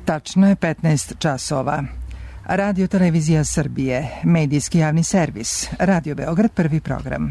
Tačno je 15 časova. Radio Televizija Srbije, medijski javni servis, Radio Beograd, prvi program.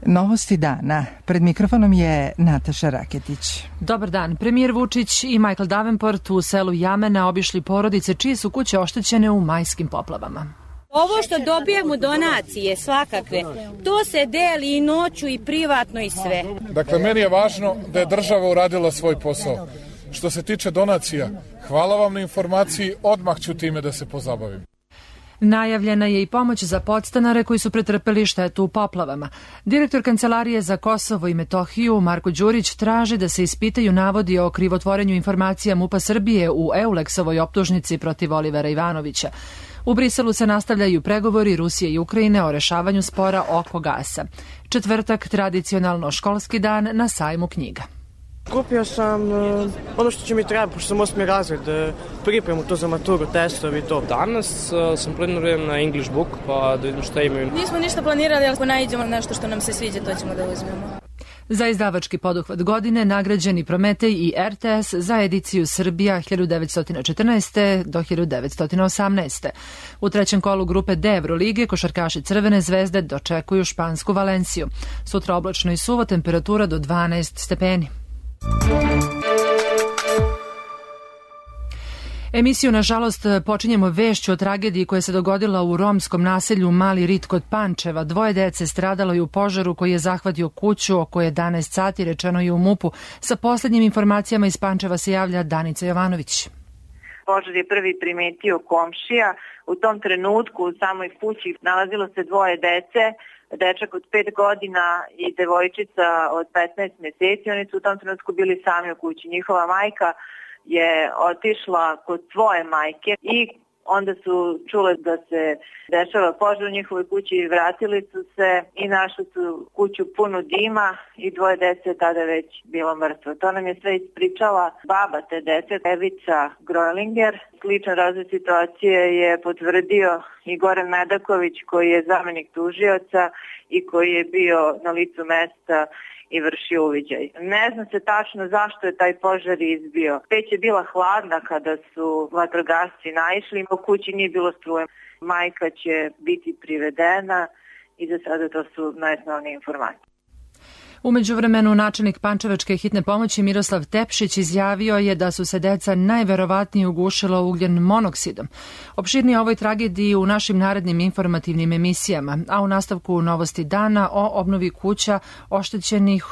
Novosti dana. Pred mikrofonom je Nataša Raketić. Dobar dan. Premijer Vučić i Michael Davenport u selu Jamena obišli porodice čije su kuće oštećene u majskim poplavama. Ovo što dobijemo donacije svakakve, to se deli i noću i privatno i sve. Dakle, meni je važno da je država uradila svoj posao. Što se tiče donacija, hvala vam na informaciji, odmah ću time da se pozabavim. Najavljena je i pomoć za podstanare koji su pretrpeli štetu u poplavama. Direktor Kancelarije za Kosovo i Metohiju Marko Đurić traži da se ispitaju navodi o krivotvorenju informacija MUP-a Srbije u Euleksovoj optužnici protiv Olivera Ivanovića. U Briselu se nastavljaju pregovori Rusije i Ukrajine o rešavanju spora oko gasa. Četvrtak, tradicionalno školski dan na sajmu knjiga. Kupio sam ono što će mi trebati, pošto sam 8. razred, pripremu to za maturu, testovi i to. Danas sam planiran na English book, pa da vidim šta imaju. Nismo ništa planirali, ali ako nađemo nešto što nam se sviđa, to ćemo da uzmemo. Za izdavački poduhvat godine nagrađeni Prometej i RTS za ediciju Srbija 1914. do 1918. U trećem kolu grupe D Evrolige košarkaši Crvene zvezde dočekuju špansku Valenciju. Sutra oblačno i suvo, temperatura do 12 stepeni. Emisiju, nažalost, počinjemo vešću o tragediji koja se dogodila u romskom naselju Mali Rit kod Pančeva. 2 dece stradalo je u požaru koji je zahvatio kuću oko 11 sati, rečeno je u MUP-u. Sa poslednjim informacijama iz Pančeva se javlja Danica Jovanović. Požar je prvi primetio komšija. U tom trenutku u samoj kući nalazilo se 2 dece, dečak od 5 godina i devojčica od 15 meseci. Oni su u tom trenutku bili sami u kući. Njihova majka je otišla kod svoje majke i onda su čule da se dešava požar u njihovoj kući i vratili su se i našli su kuću punu dima i 2 dece tada već bilo mrtvo. To nam je sve ispričala baba te dece, Evica Grojlinger. Sličan razvoj situacije je potvrdio i Goran Medaković koji je zamenik tužioca i koji je bio na licu mesta i vršio uviđaj. Ne zna se tačno zašto je taj požar izbio. Peć je bila hladna kada su vatrogasci naišli, u kući nije bilo struje. Majka će biti privedena i za sada to su najosnovnije informacije. U međuvremenu načelnik Pančevačke hitne pomoći Miroslav Tepšić izjavio je da su se deca najverovatnije ugušila ugljen monoksidom. Opširnije o ovoj tragediji u našim narednim informativnim emisijama, a u nastavku novosti dana o obnovi kuća oštećenih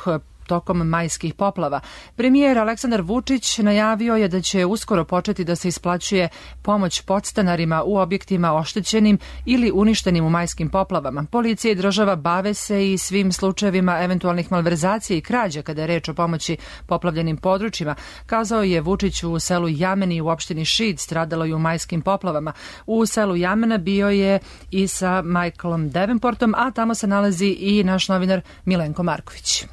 tokom majskih poplava. Premijer Aleksandar Vučić najavio je da će uskoro početi da se isplaćuje pomoć podstanarima u objektima oštećenim ili uništenim u majskim poplavama. Policija i država bave se i svim slučajevima eventualnih malverzacija i krađa kada je reč o pomoći poplavljenim područjima. Kazao je Vučić u selu Jameni u opštini Šid, stradalo je u majskim poplavama. U selu Jamena bio je i sa Michaelom Davenportom, a tamo se nalazi i naš novinar Milenko Marković.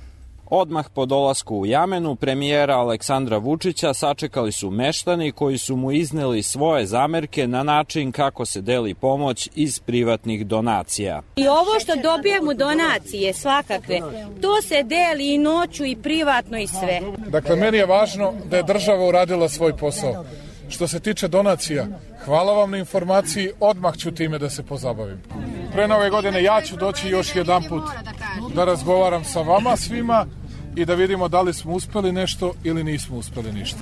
Odmah po dolasku u Jamenu premijera Aleksandra Vučića sačekali su meštani koji su mu izneli svoje zamerke na način kako se deli pomoć iz privatnih donacija. I ovo što dobijemo donacije svakakve, to se deli i noću i privatno i sve. Dakle, meni je važno da je država uradila svoj posao. Što se tiče donacija, hvala vam na informaciji, odmah ću time da se pozabavim. Pre Nove godine ja ću doći još jedan put da razgovaram sa vama svima i da vidimo da li smo uspeli nešto ili nismo uspeli ništa.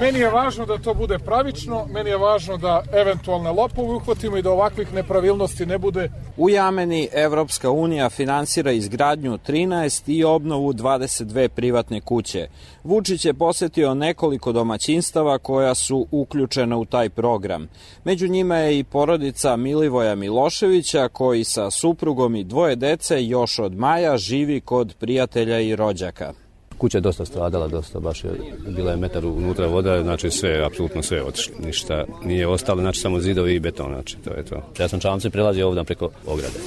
Meni je važno da to bude pravično, meni je važno da eventualne lopove uhvatimo i da ovakvih nepravilnosti ne bude. U Jameni Evropska unija finansira izgradnju 13 i obnovu 22 privatne kuće. Vučić je posetio nekoliko domaćinstava koja su uključena u taj program. Među njima je i porodica Milivoja Miloševića koji sa suprugom i 2 dece još od maja živi kod prijatelja i rođaka. Kuća je dosta stradala, baš je bila je metar unutra voda, znači sve, apsolutno sve otišlo. Ništa nije ostalo, znači samo zidovi i beton, znači to je to. Ja sam čamce prelazio ovdje preko ograde.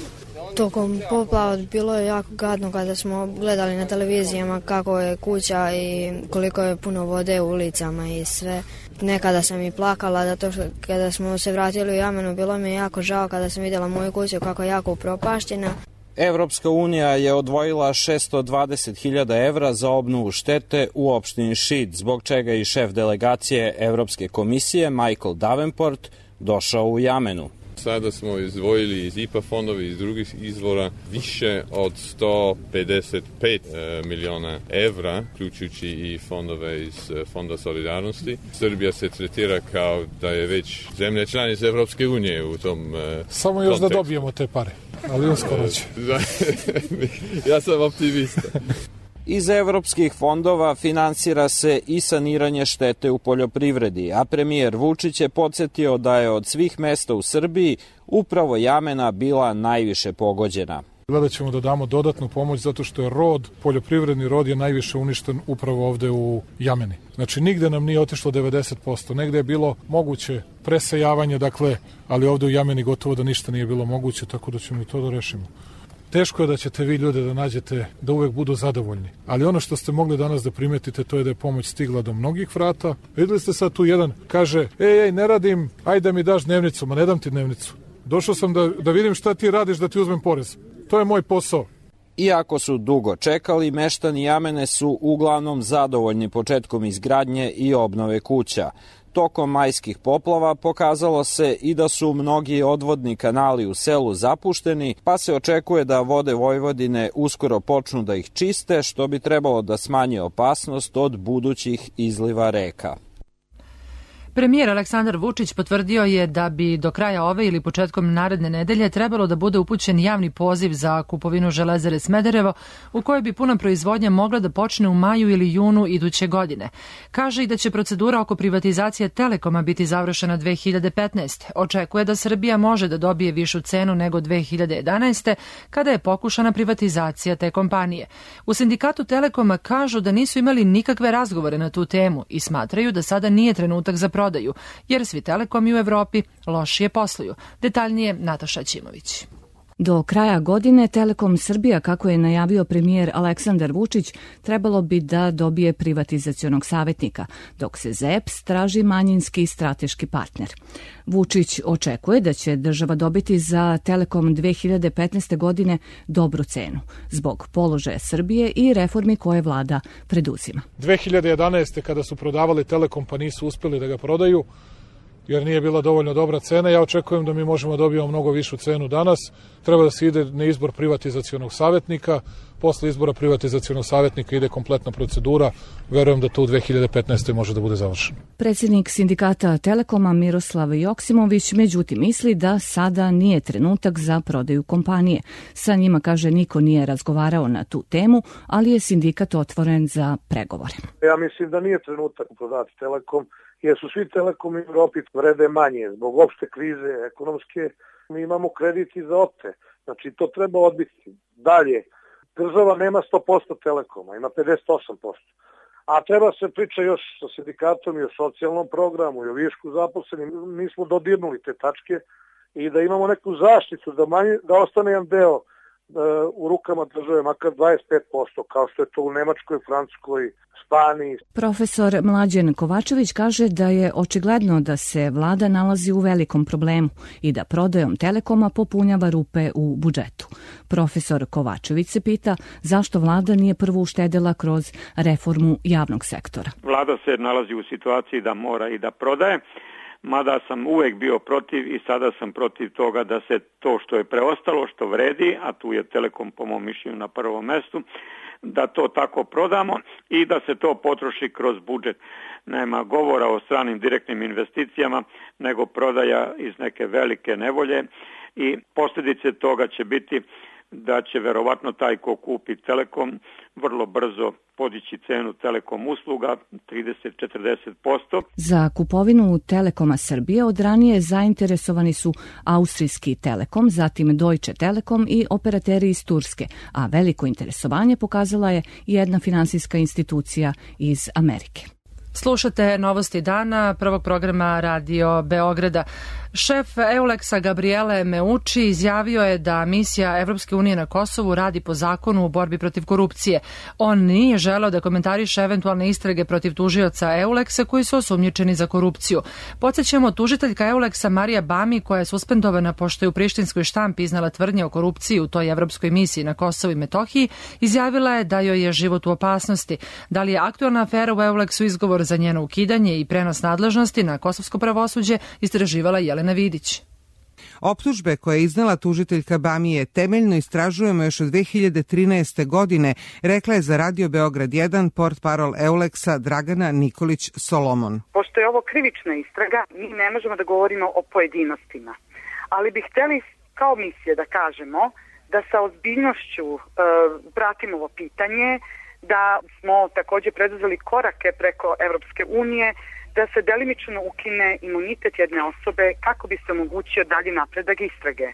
Tokom poplava bilo je jako gadno kada smo gledali na televizijama kako je kuća i koliko je puno vode u ulicama i sve. Nekada sam i plakala zato što kada smo se vratili u Jamenu bilo mi je jako žao kada sam vidjela moju kuću kako je jako upropašćena. Evropska unija je odvojila 620.000 evra za obnovu štete u opštini Šid, zbog čega i šef delegacije Evropske komisije Michael Davenport došao u Jamenu. Sada smo izdvojili iz IPA fondova i iz drugih izvora više od 155 miliona evra, uključujući i fondove iz Fonda solidarnosti. Srbija se tretira kao da je već zemlja članica Evropske unije u tom Samo još kontekstu. Da dobijemo te pare, ali uskoro će. Ja sam optimista. Iz evropskih fondova finansira se i saniranje štete u poljoprivredi, a premijer Vučić je podsjetio da je od svih mesta u Srbiji upravo Jamena bila najviše pogođena. Gledat ćemo da damo dodatnu pomoć zato što je poljoprivredni rod je najviše uništen upravo ovde u Jameni. Znači nigde nam nije otišlo 90%, negde je bilo moguće presejavanje, ali ovde u Jameni gotovo da ništa nije bilo moguće, tako da ćemo i to da rešimo. Teško je da ćete vi ljude da nađete da uvek budu zadovoljni. Ali ono što ste mogli danas da primetite, to je da je pomoć stigla do mnogih vrata. Videli ste sad tu jedan, kaže, ej, ne radim, ajde da mi daš dnevnicu. Ma ne dam ti dnevnicu. Došao sam da vidim šta ti radiš, da ti uzmem porez. To je moj posao. Iako su dugo čekali, meštani Jamene su uglavnom zadovoljni početkom izgradnje i obnove kuća. Tokom majskih poplava pokazalo se i da su mnogi odvodni kanali u selu zapušteni, pa se očekuje da Vode Vojvodine uskoro počnu da ih čiste, što bi trebalo da smanji opasnost od budućih izliva reka. Premijer Aleksandar Vučić potvrdio je da bi do kraja ove ili početkom naredne nedelje trebalo da bude upućen javni poziv za kupovinu Železare Smederevo, u kojoj bi puna proizvodnja mogla da počne u maju ili junu iduće godine. Kaže i da će procedura oko privatizacije Telekoma biti završena 2015. Očekuje da Srbija može da dobije višu cenu nego 2011. kada je pokušana privatizacija te kompanije. U sindikatu Telekoma kažu da nisu imali nikakve razgovore na tu temu i smatraju da sada nije trenutak za prodaju, jer svi telekomi u Evropi lošije posluju. Detaljnije Nataša Ćimović. Do kraja godine Telekom Srbija, kako je najavio premijer Aleksandar Vučić, trebalo bi da dobije privatizacionog savjetnika, dok se ZEPS traži manjinski strateški partner. Vučić očekuje da će država dobiti za Telekom 2015. godine dobru cenu, zbog položaja Srbije i reformi koje vlada preduzima. 2011. kada su prodavali Telekom pa nisu uspeli da ga prodaju, jer nije bila dovoljno dobra cena. Ja očekujem da mi možemo dobijemo mnogo višu cenu danas. Treba da se ide na izbor privatizacionog savjetnika. Posle izbora privatizacionog savjetnika ide kompletna procedura. Verujem da to u 2015. može da bude završeno. Predsjednik sindikata Telekoma Miroslav Joksimović međutim misli da sada nije trenutak za prodaju kompanije. Sa njima, kaže, niko nije razgovarao na tu temu, ali je sindikat otvoren za pregovore. Ja mislim da nije trenutak prodati Telekom, jer su svi telekomi u Evropi vrede manje zbog opšte krize ekonomske. Mi imamo krediti za ote, znači to treba odbiti. Dalje, država nema 100% Telekoma, ima 58%. A treba se priča još sa sindikatom i o socijalnom programu i o višku zaposlenim. Mi smo dodirnuli te tačke i da imamo neku zaštitu, da ostane jedan deo u rukama države, makar 25%, kao što je to u Nemačkoj, Francuskoj, Španiji. Profesor Mlađan Kovačević kaže da je očigledno da se vlada nalazi u velikom problemu i da prodajom Telekoma popunjava rupe u budžetu. Profesor Kovačević se pita zašto vlada nije prvo uštedela kroz reformu javnog sektora. Vlada se nalazi u situaciji da mora i da prodaje, mada sam uvek bio protiv i sada sam protiv toga da se to što je preostalo, što vredi, a tu je Telekom po mom mišljenju na prvom mestu, da to tako prodamo i da se to potroši kroz budžet. Nema govora o stranim direktnim investicijama, nego prodaja iz neke velike nevolje i posljedice toga će biti da će verovatno taj ko kupi Telekom vrlo brzo podići cenu Telekom usluga 30-40%. Za kupovinu Telekoma Srbije od ranije zainteresovani su austrijski Telekom, zatim Deutsche Telekom i operateri iz Turske, a veliko interesovanje pokazala je jedna finansijska institucija iz Amerike. Slušate Novosti dana, prvog programa Radio Beograda. Šef Euleksa Gabriele Meucci izjavio je da misija Evropske unije na Kosovu radi po zakonu u borbi protiv korupcije. On nije želeo da komentariše eventualne istrage protiv tužioca Euleksa koji su osumnjičeni za korupciju. Podsjećamo, tužiteljka Euleksa Marija Bami, koja je suspendovana pošto je u prištinskoj štampi iznala tvrdnje o korupciji u toj evropskoj misiji na Kosovu i Metohiji, izjavila je da joj je život u opasnosti. Da li je aktualna afera u Euleksu izgovor za njeno ukidanje i prenos nadležnosti na kosovsko pravosuđe, istraživala Jelena Vidić. Optužbe koje je iznela tužiteljka Bamije temeljno istražujemo još od 2013. godine, rekla je za Radio Beograd 1 portparol Euleksa Dragana Nikolić-Solomon. Pošto je ovo krivična istraga, mi ne možemo da govorimo o pojedinostima, ali bi hteli kao misija da kažemo da sa ozbiljnošću pratimo ovo pitanje, da smo također preduzeli korake preko Evropske unije, da se delimično ukine imunitet jedne osobe kako bi se omogućio dalji napredak istrage.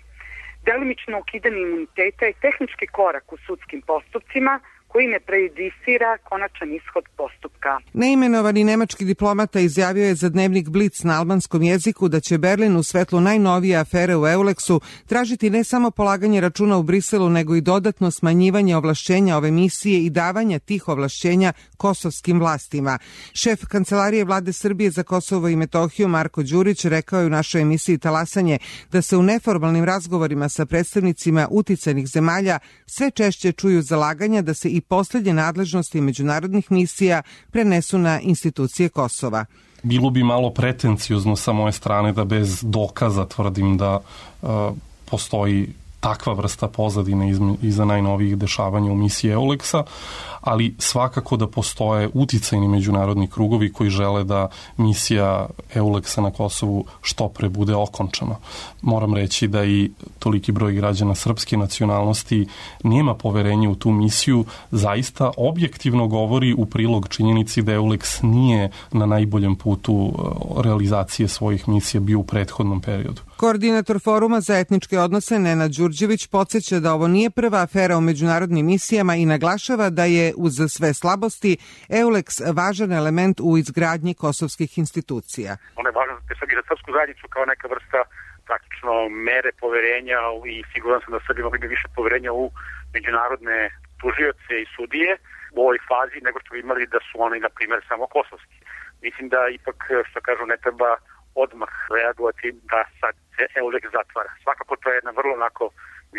Delimično ukidanje imuniteta je tehnički korak u sudskim postupcima koji ne prejudicira konačan ishod postupka. Neimenovani nemački diplomata izjavio je za dnevnik Blic na albanskom jeziku da će Berlin u svetlu najnovije afere u Euleksu tražiti ne samo polaganje računa u Briselu, nego i dodatno smanjivanje ovlašćenja ove misije i davanja tih ovlašćenja kosovskim vlastima. Šef Kancelarije Vlade Srbije za Kosovo i Metohiju Marko Đurić rekao je u našoj emisiji Talasanje da se u neformalnim razgovorima sa predstavnicima uticajnih zemalja sve češće čuju zalaganja da se i poslednje nadležnosti međunarodnih misija prenesu na institucije Kosova. Bilo bi malo pretenciozno sa moje strane da bez dokaza tvrdim da postoji takva vrsta pozadine iza najnovijih dešavanja u misiji Euleksa, ali svakako da postoje uticajni međunarodni krugovi koji žele da misija Euleksa na Kosovu što pre bude okončana. Moram reći da i toliki broj građana srpske nacionalnosti nema poverenja u tu misiju, zaista objektivno govori u prilog činjenici da Euleks nije na najboljem putu realizacije svojih misija bio u prethodnom periodu. Koordinator Foruma za etničke odnose Nenad Đurđević podsjeća da ovo nije prva afera u međunarodnim misijama i naglašava da je uz sve slabosti Euleks važan element u izgradnji kosovskih institucija. Ono je važno za srpsku zajednicu kao neka vrsta praktično mere poverenja i siguran sam da Srbi mogli bi više poverenja u međunarodne tužioce i sudije u ovoj fazi nego što bi imali da su oni, na primjer, samo kosovski. Mislim da ipak, što kažu, ne treba odmah reagovati da sad se Euleks zatvara. Svakako to je jedna vrlo onako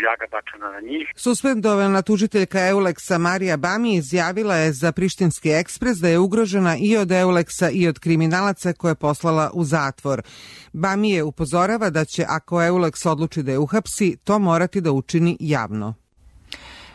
ljaga bačena na njih. Suspendovana tužiteljka Euleksa Marija Bami izjavila je za Prištinski ekspres da je ugrožena i od Euleksa i od kriminalaca koje je poslala u zatvor. Bami je upozorava da će, ako Euleks odluči da je uhapsi, to morati da učini javno.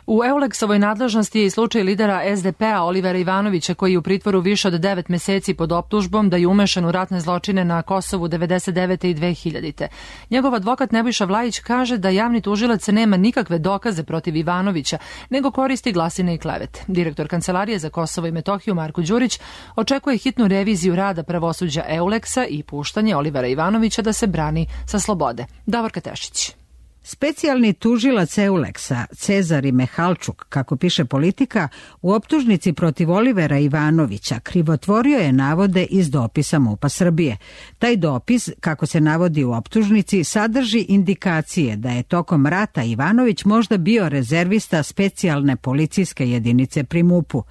U Euleksovoj nadležnosti je i slučaj lidera SDP-a Olivera Ivanovića koji je u pritvoru više od 9 meseci pod optužbom da je umešan u ratne zločine na Kosovu 99. i 2000. Njegov advokat Nebojša Vlajić kaže da javni tužilac nema nikakve dokaze protiv Ivanovića, nego koristi glasine i klevete. Direktor Kancelarije za Kosovo i Metohiju Marko Đurić očekuje hitnu reviziju rada pravosuđa Euleksa i puštanje Olivera Ivanovića da se brani sa slobode. Davorka Tešić. Specijalni tužilac Euleksa, Cezari Mehalčuk, kako piše Politika, u optužnici protiv Olivera Ivanovića krivotvorio je navode iz dopisa MUP-a Srbije. Taj dopis, kako se navodi u optužnici, sadrži indikacije da je tokom rata Ivanović možda bio rezervista specijalne policijske jedinice pri MUP-u.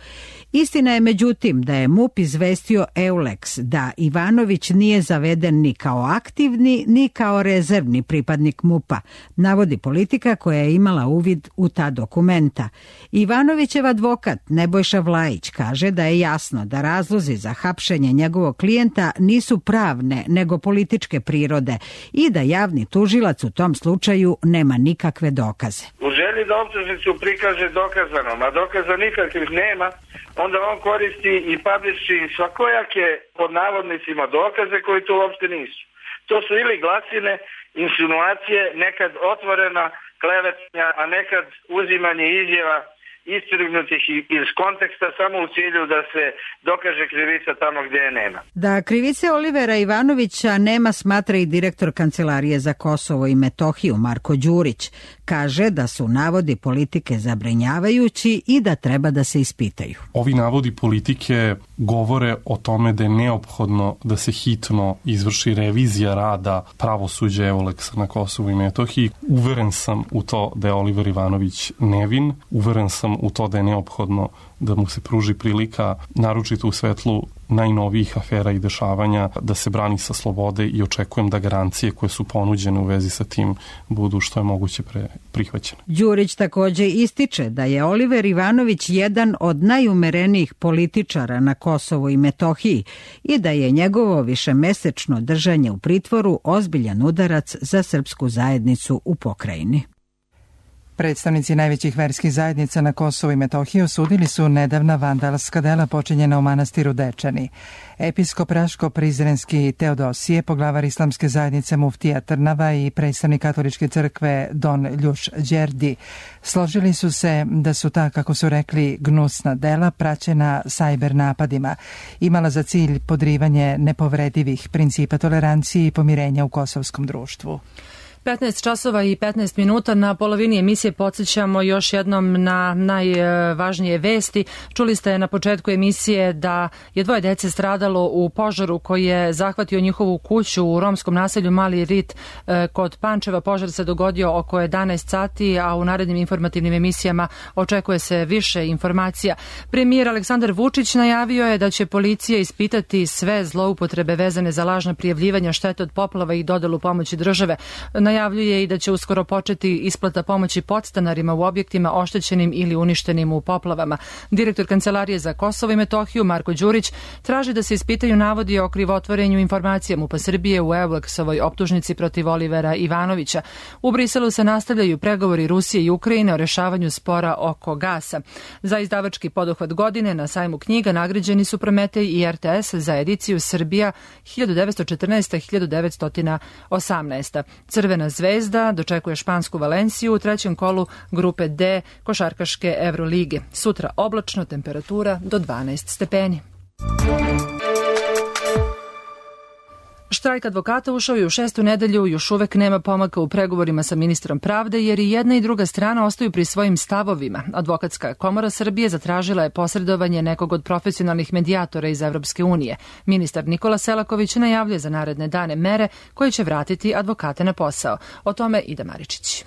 Istina je međutim da je MUP izvestio Euleks da Ivanović nije zaveden ni kao aktivni ni kao rezervni pripadnik MUP-a, navodi Politika koja je imala uvid u ta dokumenta. Ivanovićev advokat Nebojša Vlajić kaže da je jasno da razlozi za hapšenje njegovog klijenta nisu pravne nego političke prirode i da javni tužilac u tom slučaju nema nikakve dokaze. U želji da optužnicu prikaže dokazanom, a dokaza nikakvih nema, onda on koristi i publiši svakojake pod navodnicima dokaze koji to uopšte nisu. To su ili glasine, insinuacije, nekad otvorena klevetanja, a nekad uzimanje izjava istrgnutih iz konteksta samo u cilju da se dokaže krivica tamo gdje je nema. Da krivice Olivera Ivanovića nema, smatra i direktor Kancelarije za Kosovo i Metohiju Marko Đurić. Kaže da su navodi politike zabrinjavajući i da treba da se ispitaju. Ovi navodi politike govore o tome da je neophodno da se hitno izvrši revizija rada pravosuđa Euleksa na Kosovu i Metohiji. Uveren sam u to da je Oliver Ivanović nevin, uveren sam u to da je neophodno da mu se pruži prilika, naročito u svetlu najnovijih afera i dešavanja, da se brani sa slobode i očekujem da garancije koje su ponuđene u vezi sa tim budu što je moguće prihvaćene. Đurić takođe ističe da je Oliver Ivanović jedan od najumerenijih političara na Kosovu i Metohiji i da je njegovo višemesečno držanje u pritvoru ozbiljan udarac za srpsku zajednicu u pokrajini. Predstavnici najvećih verskih zajednica na Kosovu i Metohiji osudili su nedavna vandalska dela počinjena u manastiru Dečani. Episkop Raško-Prizrenski Teodosije, poglavar islamske zajednice Muftija Trnava i predstavnik katoličke crkve Don Ljuš Đerdi složili su se da su ta, kako su rekli, gnusna dela praćena sajber napadima, imala za cilj podrivanje nepovredivih principa tolerancije i pomirenja u kosovskom društvu. 15 časova i 15 minuta, na polovini emisije podsjećamo još jednom na najvažnije vesti. Čuli ste na početku emisije da je 2 dece stradalo u požaru koji je zahvatio njihovu kuću u romskom naselju Mali Rit kod Pančeva. Požar se dogodio oko 11 sati, a u narednim informativnim emisijama očekuje se više informacija. Premijer Aleksandar Vučić najavio je da će policija ispitati sve zloupotrebe vezane za lažna prijavljivanja štete od poplava i dodelu pomoći države. Najavljuje i da će uskoro početi isplata pomoći podstanarima u objektima oštećenim ili uništenim u poplavama. Direktor Kancelarije za Kosovo i Metohiju Marko Đurić traži da se ispitaju navodi o krivotvorenju informacija MUP-a Srbije u Euleksovoj optužnici protiv Olivera Ivanovića. U Briselu se nastavljaju pregovori Rusije i Ukrajine o rešavanju spora oko gasa. Za izdavački poduhvat godine na sajmu knjiga nagrađeni su Prometej i RTS za ediciju Srbija 1914-1918. Crvena zvezda dočekuje špansku Valenciju u trećem kolu grupe D košarkaške Evrolige. Sutra oblačno, temperatura do 12 stepeni. Štrajk advokata ušao je u 6. nedelju, još uvek nema pomaka u pregovorima sa ministrom pravde jer i jedna i druga strana ostaju pri svojim stavovima. Advokatska komora Srbije zatražila je posredovanje nekog od profesionalnih medijatora iz Evropske unije. Ministar Nikola Selaković najavljuje za naredne dane mere koje će vratiti advokate na posao. O tome Ida Maričić.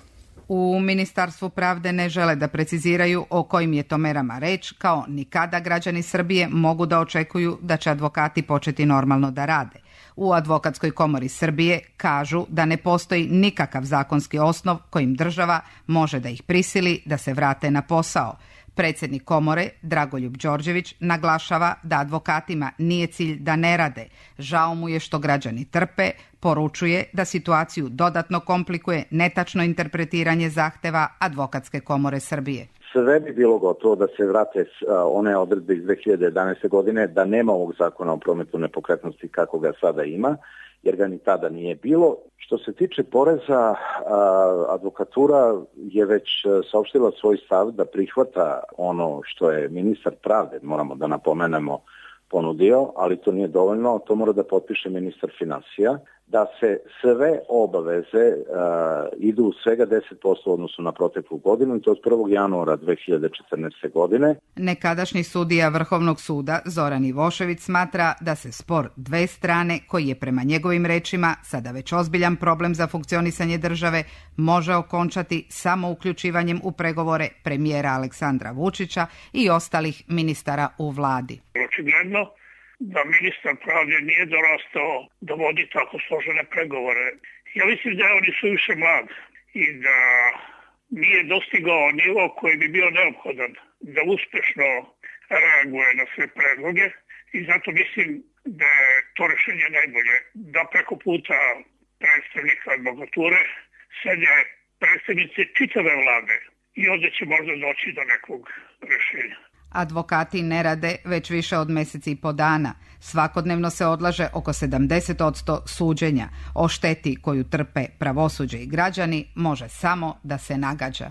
U Ministarstvu pravde ne žele da preciziraju o kojim je to merama reč, kao ni kada građani Srbije mogu da očekuju da će advokati početi normalno da rade. U Advokatskoj komori Srbije kažu da ne postoji nikakav zakonski osnov kojim država može da ih prisili da se vrate na posao. Predsjednik komore, Dragoljub Đorđević, naglašava da advokatima nije cilj da ne rade. Žao mu je što građani trpe, poručuje da situaciju dodatno komplikuje netačno interpretiranje zahteva Advokatske komore Srbije. Sve bi bilo gotovo da se vrate one odredbe iz 2011. godine, da nema ovog zakona o prometu nepokretnosti kako ga sada ima, jer ga ni tada nije bilo. Što se tiče poreza, advokatura je već saopštila svoj stav da prihvata ono što je ministar pravde, moramo da napomenemo, ponudio, ali to nije dovoljno, to mora da potpiše ministar finansija, da se sve obaveze idu svega 10% u odnosu na proteklu godinu i to od 1. januara 2014. godine. Nekadašnji sudija Vrhovnog suda Zoran Ivošević smatra da se spor dve strane, koji je prema njegovim rečima sada već ozbiljan problem za funkcionisanje države, može okončati samo uključivanjem u pregovore premijera Aleksandra Vučića i ostalih ministara u vladi. Očigledno da ministar pravde nije dorastao da vodi tako složene pregovore. Ja mislim da je on suviše mlad i da nije dostigao nivo koji bi bio neophodan da uspešno reaguje na sve predloge i zato mislim da je to rešenje najbolje. Da preko puta predstavnika advokature sede predstavnici čitave vlade i onda će možda doći do nekog rešenja. Advokati ne rade već više od meseci i po dana. Svakodnevno se odlaže oko 70% suđenja. O šteti koju trpe pravosuđe i građani može samo da se nagađa.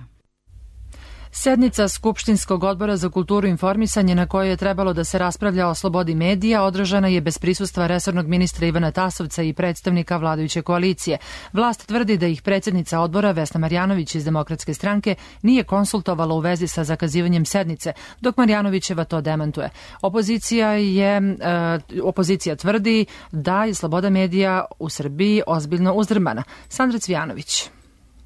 Sednica Skupštinskog odbora za kulturu i informisanje na kojoj je trebalo da se raspravlja o slobodi medija održana je bez prisustva resornog ministra Ivana Tasovca i predstavnika vladajuće koalicije. Vlast tvrdi da ih predsjednica odbora Vesna Marjanović iz Demokratske stranke nije konsultovala u vezi sa zakazivanjem sednice, dok Marjanovićeva to demantuje. Opozicija tvrdi da je sloboda medija u Srbiji ozbiljno uzdrmana. Sandra Cvijanović.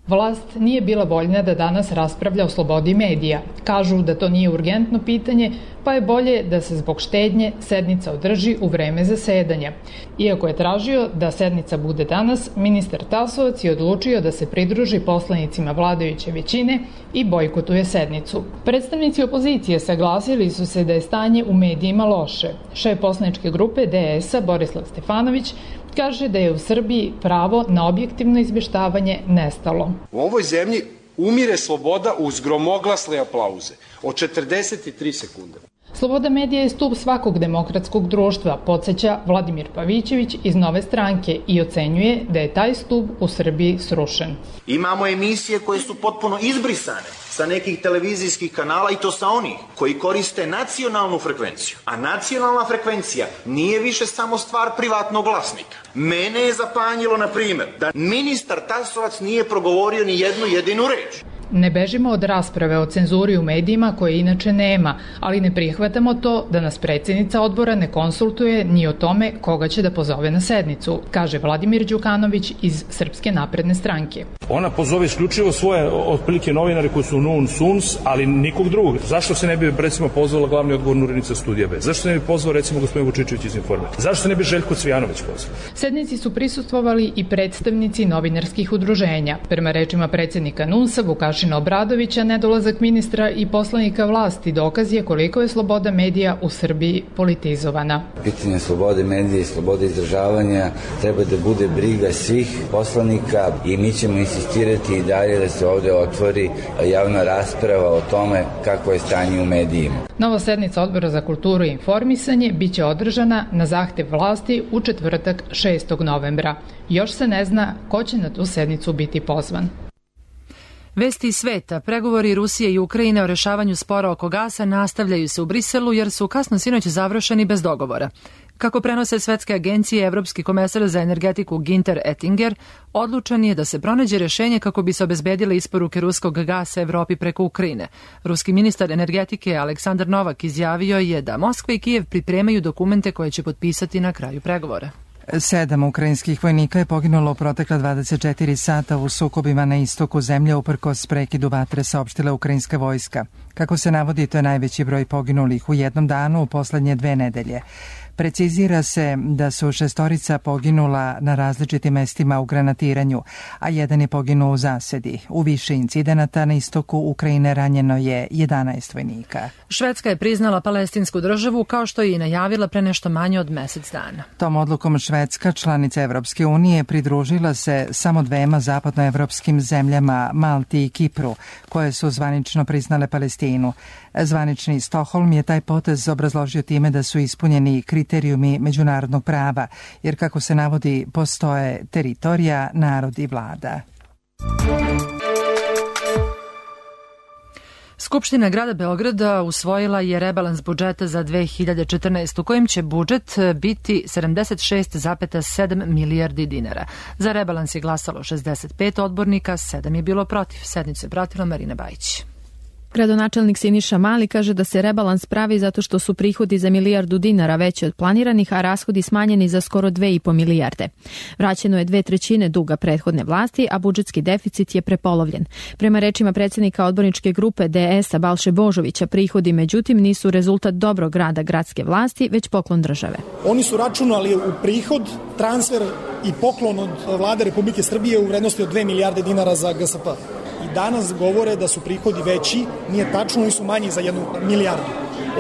Vlast nije bila voljna da danas raspravlja o slobodi medija. Kažu da to nije urgentno pitanje, pa je bolje da se zbog štednje sednica održi u vreme zasedanja. Iako je tražio da sednica bude danas, ministar Tasovac je odlučio da se pridruži poslanicima vladajuće većine i bojkotuje sednicu. Predstavnici opozicije saglasili su se da je stanje u medijima loše. Šef poslaničke grupe DS-a Borislav Stefanović kaže da je u Srbiji pravo na objektivno izveštavanje nestalo. U ovoj zemlji umire sloboda uz gromoglasne aplauze od 43 sekunde. Sloboda medija je stub svakog demokratskog društva, podsjeća Vladimir Pavićević iz Nove stranke i ocenjuje da je taj stub u Srbiji srušen. Imamo emisije koje su potpuno izbrisane sa nekih televizijskih kanala i to sa onih koji koriste nacionalnu frekvenciju. A nacionalna frekvencija nije više samo stvar privatnog vlasnika. Mene je zapanjilo, na primjer, da ministar Tasovac nije progovorio ni jednu jedinu reč. Ne bežimo od rasprave o cenzuri u medijima koje inače nema, ali ne prihvatamo to da nas predsjednica odbora ne konsultuje ni o tome koga će da pozove na sednicu, kaže Vladimir Đukanović iz Srpske napredne stranke. Ona pozove isključivo svoje otprilike novinare koji su non suns, ali nikog drugog. Zašto se ne bi recimo pozvala glavni odgovorna urednica Studija B? Zašto se ne bi pozvao recimo gospodin Vučićević iz Informera? Zašto se ne bi Željko Cvijanović pozvao? Sednici su prisustvovali i predstavnici novinarskih udruženja. Prema rečima predsjednika NUNS-a Vukašina Obradovića, nedolazak ministra i poslanika vlasti dokaz je koliko je sloboda medija u Srbiji politizovana. Pitanje slobode medija i slobode izražavanja treba da bude briga svih poslanika i mi ćemo insistirati i dalje da se ovde otvori javna rasprava o tome kako je stanje u medijima. Nova sednica Odbora za kulturu i informisanje biće održana na zahtev vlasti u četvrtak 6. novembra. Još se ne zna ko će na tu sednicu biti pozvan. Vesti iz sveta, pregovori Rusije i Ukrajine o rešavanju spora oko gasa nastavljaju se u Briselu jer su kasno sinoć završeni bez dogovora. Kako prenose svetske agencije, Evropski komesar za energetiku Ginter Ettinger odlučan je da se pronađe rešenje kako bi se obezbedile isporuke ruskog gasa Evropi preko Ukrajine. Ruski ministar energetike Aleksandar Novak izjavio je da Moskva i Kijev pripremaju dokumente koje će potpisati na kraju pregovora. 7 ukrajinskih vojnika je poginulo u protekla 24 sata u sukobima na istoku zemlje uprkos prekidu vatre, saopštila ukrajinska vojska. Kako se navodi, to je najveći broj poginulih u jednom danu u poslednje 2 nedelje. Precizira se da su 6 poginula na različitim mestima u granatiranju, a 1 je poginuo u zasedi. U više incidenata na istoku Ukrajine ranjeno je 11 vojnika. Švedska je priznala palestinsku državu kao što je i najavila pre nešto manje od mesec dana. Tom odlukom Švedska, članica Evropske unije, pridružila se samo 2 zapadnoevropskim zemljama, Malti i Kipru, koje su zvanično priznale Palestinu. Zvanični Stokholm je taj potez obrazložio time da su ispunjeni kriterijumi međunarodnog prava, jer kako se navodi postoje teritorija, narod i vlada. Skupština grada Beograda usvojila je rebalans budžeta za 2014. u kojem će budžet biti 76,7 milijardi dinara. Za rebalans je glasalo 65 odbornika, 7 je bilo protiv. Sednicu je pratila Marina Bajić. Gradonačelnik Siniša Mali kaže da se rebalans pravi zato što su prihodi za 1 milijardu dinara veći od planiranih, a rashodi smanjeni za skoro 2,5 milijarde. Vraćeno je 2/3 duga prethodne vlasti, a budžetski deficit je prepolovljen. Prema rečima predsjednika odborničke grupe DS-a Balše Božovića, prihodi međutim nisu rezultat dobrog rada gradske vlasti, već poklon države. Oni su računali u prihod, transfer i poklon od vlade Republike Srbije u vrednosti od 2 milijarde dinara za GSP. I danas govore da su prihodi veći, nije tačno, oni su manji za 1 milijardu.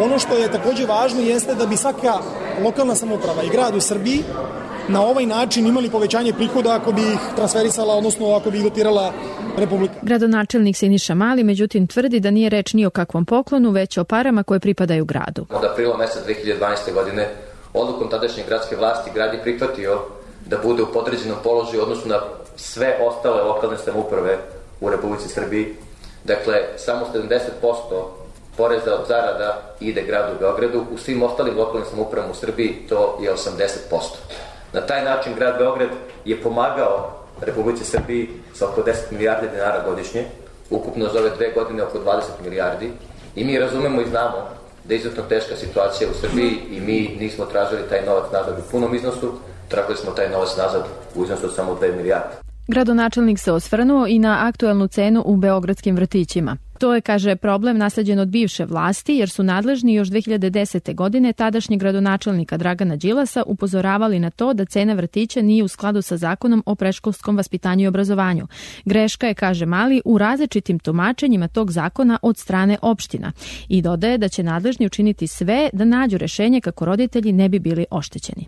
Ono što je također važno jeste da bi svaka lokalna samouprava i grad u Srbiji na ovaj način imali povećanje prihoda ako bi ih transferisala, odnosno ako bi ih dotirala Republika. Gradonačelnik Siniša Mali međutim tvrdi da nije reč ni o kakvom poklonu, već o parama koje pripadaju gradu. Od aprila meseca 2012. godine odlukom tadašnje gradske vlasti grad je prihvatio da bude u podređenom položaju odnosno na sve ostale lokalne samouprave u Republici Srbiji Dakle, samo 70% poreza od zarada ide gradu Beogradu, u svim ostalim lokalnim samoupravama u Srbiji to je 80%. Na taj način grad Beograd je pomagao Republici Srbiji sa oko 10 milijardi dinara godišnje, ukupno za ove 2 godine oko 20 milijardi, i mi razumemo i znamo da je izuzetno teška situacija u Srbiji i mi nismo tražili taj novac nazad u punom iznosu, tražili smo taj novac nazad u iznosu od samo 2 milijarde. Gradonačelnik se osvrnuo i na aktuelnu cenu u beogradskim vrtićima. To je, kaže, problem nasleđen od bivše vlasti, jer su nadležni još 2010. godine tadašnjeg gradonačelnika Dragana Đilasa upozoravali na to da cena vrtića nije u skladu sa zakonom o predškolskom vaspitanju i obrazovanju. Greška je, kaže Mali, u različitim tumačenjima tog zakona od strane opština i dodaje da će nadležni učiniti sve da nađu rešenje kako roditelji ne bi bili oštećeni.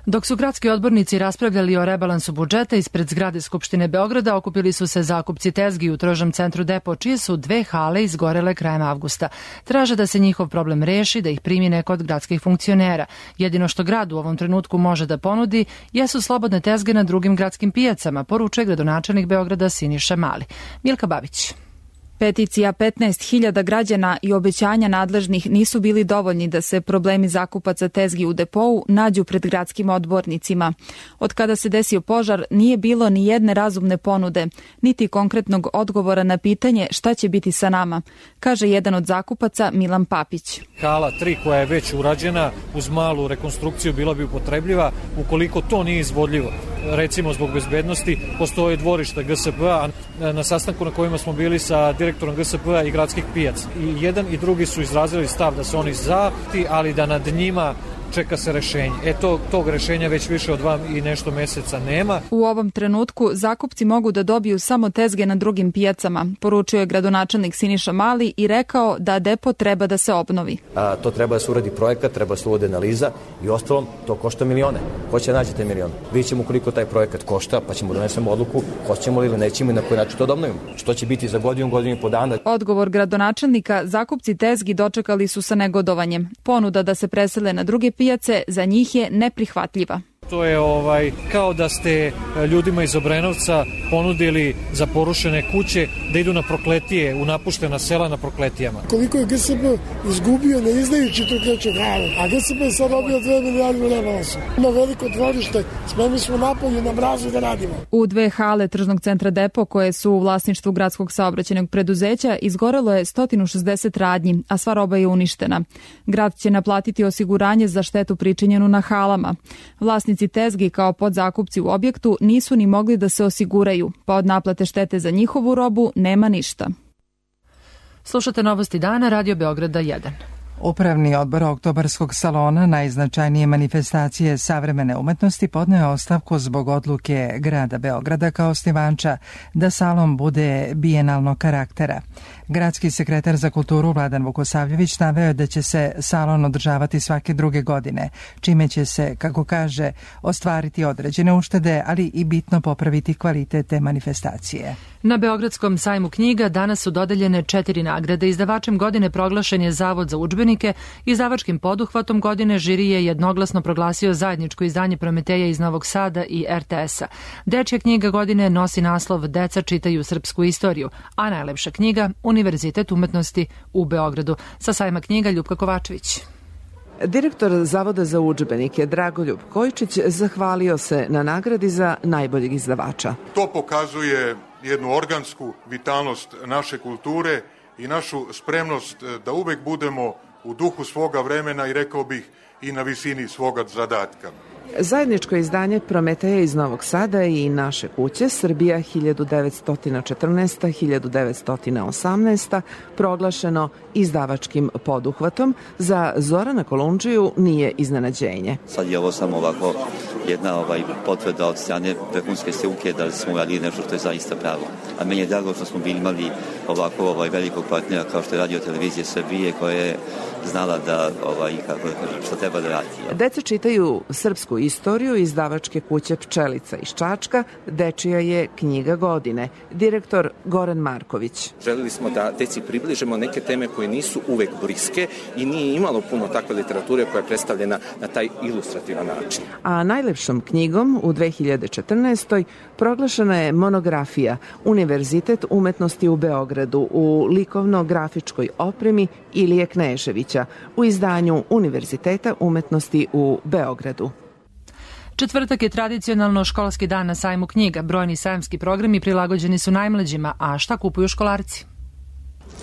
Dok su gradski odbornici raspravljali o rebalansu budžeta, ispred zgrade Skupštine Beograda okupili su se zakupci tezgi u tržnom centru Depo, čije su 2 hale izgorele krajem avgusta. Traže da se njihov problem reši, da ih primi neko od gradskih funkcionera. Jedino što grad u ovom trenutku može da ponudi jesu slobodne tezge na drugim gradskim pijacama, poručuje gradonačelnik Beograda Siniša Mali. Milka Babić. Peticija 15.000 građana i obećanja nadležnih nisu bili dovoljni da se problemi zakupaca tezgi u Depou nađu pred gradskim odbornicima. Od kada se desio požar nije bilo ni jedne razumne ponude, niti konkretnog odgovora na pitanje šta će biti sa nama, kaže jedan od zakupaca Milan Papić. Hala 3 koja je već urađena uz malu rekonstrukciju bila bi upotrebljiva. Ukoliko to nije izvodljivo, recimo zbog bezbednosti, postoje dvorišta GSP-a, na sastanku na kojima smo bili sa direktorom GSP-a i gradskih pijaca. I jedan i drugi su izrazili stav da se oni ali da nad njima čeka se rešenje. Tog rešenja već više od 2 i nešto meseca nema. U ovom trenutku zakupci mogu da dobiju samo tezge na drugim pijacama, poručio je gradonačelnik Siniša Mali i rekao da Depo treba da se obnovi. To treba da se uradi projekat, treba da se uvode analiza i ostalom to košta milione. Ko će naći te milione? Vidjet ćemo koliko taj projekat košta, pa ćemo donesemo odluku hoćemo li ili nećemo i na koji način to da obnovimo. Što će biti za godinu i po dana. Odgovor gradonačelnika zakupci tezgi dočekali su sa negodovanjem. Ponuda da se presele na druge pijace za njih je neprihvatljiva. To je kao da ste ljudima iz Obrenovca ponudili za porušene kuće da idu na Prokletije, u napuštena sela na Prokletijama. Koliko je GSP izgubio ne izdajući tu treću halu, a GSP je sad dobio 2 milijarde u rebalansu. Ima veliko dvorište, spremni smo napolje na mrazu da radimo. U 2 hale tržnog centra Depo, koje su u vlasništvu gradskog saobraćajnog preduzeća, izgorelo je 160 radnji, a sva roba je uništena. Grad će naplatiti osiguranje za štetu pričinjenu na halama. Vlasnici tezgi kao podzakupci u objektu nisu ni mogli da se osiguraju, pa od naplate štete za njihovu robu nema ništa. Slušate Novosti dana, Radio Beograda 1. Upravni odbor Oktobarskog salona, najznačajnije manifestacije savremene umetnosti, podneo ostavku zbog odluke grada Beograda kao osnivača da salon bude bijenalnog karaktera. Gradski sekretar za kulturu Vladan Vukosavljević naveo je da će se salon održavati svake druge godine, čime će se, kako kaže, ostvariti određene uštede, ali i bitno popraviti kvalitet te manifestacije. Na Beogradskom sajmu knjiga danas su dodeljene 4 nagrade. Izdavačem godine proglašen je Zavod za udžbenike. Izdavačkim poduhvatom godine žiri je jednoglasno proglasio zajedničko izdanje Prometeja iz Novog Sada i RTS-a. Dečja knjiga godine nosi naslov Deca čitaju srpsku istoriju, a najlepša knjiga Univerzitet umetnosti u Beogradu. Sa sajma knjiga Ljupka Kovačević. Direktor Zavoda za udžbenike Dragoljub Kojičić zahvalio se na nagradi za najboljeg izdavača. To pokazuje jednu organsku vitalnost naše kulture i našu spremnost da uvek budemo u duhu svoga vremena i rekao bih i na visini svoga zadatka. Zajedničko izdanje Prometeja iz Novog Sada i Naše kuće Srbija 1914-1918 proglašeno izdavačkim poduhvatom za Zorana Kolundžiju nije iznenađenje. Sad je ovo samo ovako jedna potvrda od strane vrhunske struke da smo radili nešto što je zaista pravo. A meni je drago što smo bili imali ovako velikog partnera kao što je Radio Televizija Srbije koja je znala da što treba da radi. Deca čitaju srpsku istoriju izdavačke kuće Pčelica iz Čačka, dečija je knjiga godine. Direktor Goran Marković. Želeli smo da deci približimo neke teme koje nisu uvek bliske i nije imalo puno takve literature koja je predstavljena na taj ilustrativan način. A najlepšom knjigom u 2014. proglašena je monografija Univerzitet umetnosti u Beogradu u likovno-grafičkoj opremi Ilije Kneževića u izdanju Univerziteta umetnosti u Beogradu. Četvrtak je tradicionalno školski dan na sajmu knjiga. Brojni sajamski programi prilagođeni su najmlađima, a šta kupuju školarci?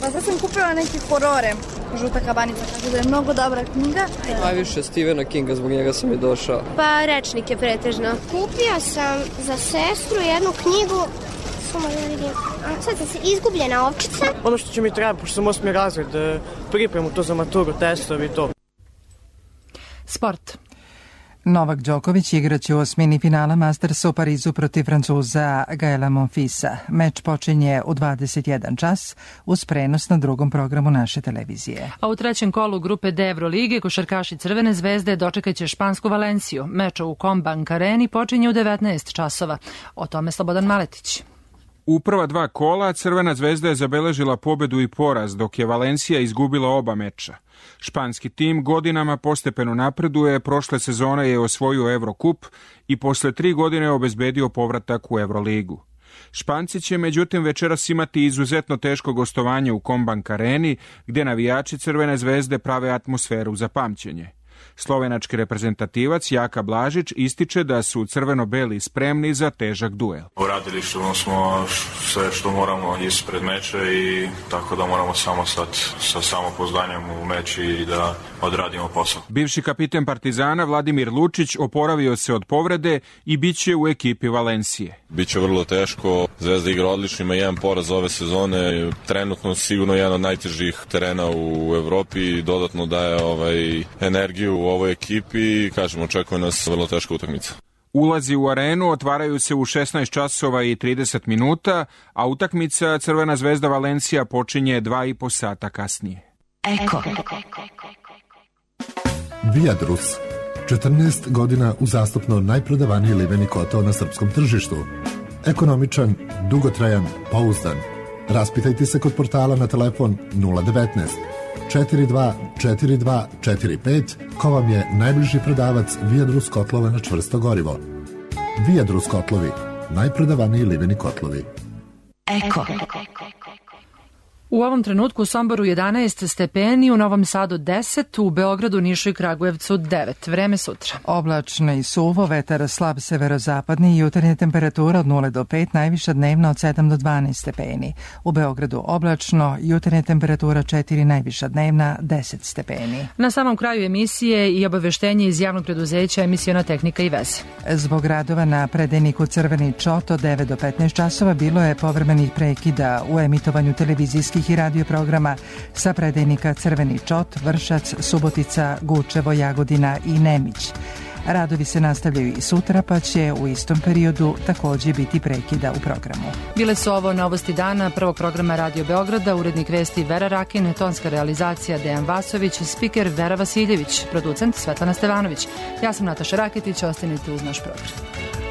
Pa sad sam kupila neke horore, Žuta kabanica, tako da je mnogo dobra knjiga. Najviše Stephena Kinga, zbog njega sam i došao. Pa rečnike pretežno. Kupio sam za sestru jednu knjigu, sad se Izgubljena ovčica. Ono što će mi treba, pošto sam 8. razred, pripremu to za maturu, testovi i to. Sport. Novak Đoković igraće u osmini finala Mastersa u Parizu protiv Francuza Gaela Monfilsa. Meč počinje u 21 čas uz prenos na drugom programu naše televizije. A u trećem kolu grupe D Evrolige košarkaši Crvene zvezde dočekaće špansku Valenciju. Meč u Combank Areni počinje u 19 časova. O tome Slobodan Maletić. U prva dva kola Crvena zvezda je zabeležila pobedu i poraz, dok je Valencija izgubila oba meča. Španski tim godinama postepeno napreduje, prošle sezone je osvojio Evrokup i posle 3 godine obezbedio povratak u Evroligu. Španci će međutim večeras imati izuzetno teško gostovanje u Combank Areni, gdje navijači Crvene zvezde prave atmosferu za pamćenje. Slovenački reprezentativac Jaka Blažić ističe da su crveno-beli spremni za težak duel. Uradili smo sve što moramo ispred meča i tako da moramo samo sad sa samopouzdanjem u meč i da odradimo posao. Bivši kapiten Partizana Vladimir Lučić oporavio se od povrede i bit će u ekipi Valencije. Biće vrlo teško, Zvezda igra odlično, ima jedan poraz ove sezone, trenutno sigurno jedan od najtežih terena u Evropi i dodatno daje energiju u ovoj ekipi i kažemo očekuje nas vrlo teška utakmica. Ulazi u arenu otvaraju se u 16 časova i 30 minuta, a utakmica Crvena zvezda Valencija počinje 2,5 sata kasnije. Eko. Viadrus. 14 godina uzastopno najprodavaniji liveni kotao na srpskom tržištu. Ekonomičan, dugotrajan, pouzdan. Raspitajte se kod portala na telefon 019 424245 ko vam je najbliži prodavac Viadrus kotlova na čvrsto gorivo. Viadrus kotlovi, najprodavaniji liveni kotlovi. Eko. U ovom trenutku u Somboru 11 stepeni, u Novom Sadu 10, u Beogradu, Nišu i Kragujevcu 9. Vreme sutra. Oblačno i suvo, vetar slab severozapadni, jutarnja temperatura od 0 do 5, najviša dnevna od 7 do 12 stepeni. U Beogradu oblačno, jutarnja temperatura 4, najviša dnevna 10 stepeni. Na samom kraju emisije i obaveštenje iz javnog preduzeća Emisiona tehnika i veze. Zbog radova na predajniku Crveni čot od 9 do 15 časova bilo je povremenih prekida u emitovanju televizijskih i radio programa sa predajnika Crveni čot, Vršac, Subotica, Gučevo, Jagodina i Nemić. Radovi se nastavljaju i sutra, pa će u istom periodu također biti prekida u programu. Bile su ovo novosti dana prvog programa Radio Beograda, urednik vesti Vera Rakin, tonska realizacija Dejan Vasović, spiker Vera Vasiljević, producent Svetlana Stevanović. Ja sam Nataša Raketić, ostanite uz naš program.